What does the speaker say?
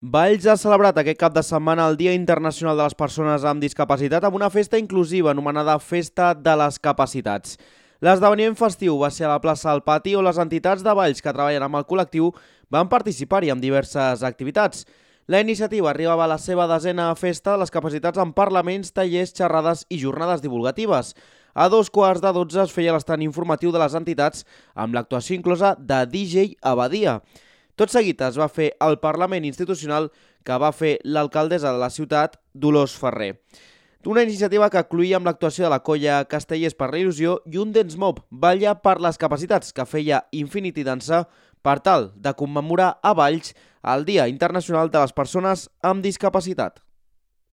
Valls ha celebrat aquest cap de setmana el Dia Internacional de les Persones amb Discapacitat amb una festa inclusiva anomenada Festa de les Capacitats. L'esdeveniment festiu va ser a la plaça del Pati on les entitats de Valls que treballen amb el col·lectiu van participar-hi amb diverses activitats. La iniciativa arribava a la seva 10a festa de les capacitats amb parlaments, tallers, xerrades i jornades divulgatives. A 2:15 es feia l'estant informatiu de les entitats amb l'actuació inclosa de DJ Abadia. Tot seguit es va fer el Parlament Institucional que va fer l'alcaldessa de la ciutat, Dolors Ferrer. Una iniciativa que incloïa amb l'actuació de la colla Castellers per la Il·lusió i un dance mob, Balla per les Capacitats, que feia Infinity Dansa per tal de commemorar a Valls el Dia Internacional de les Persones amb Discapacitat.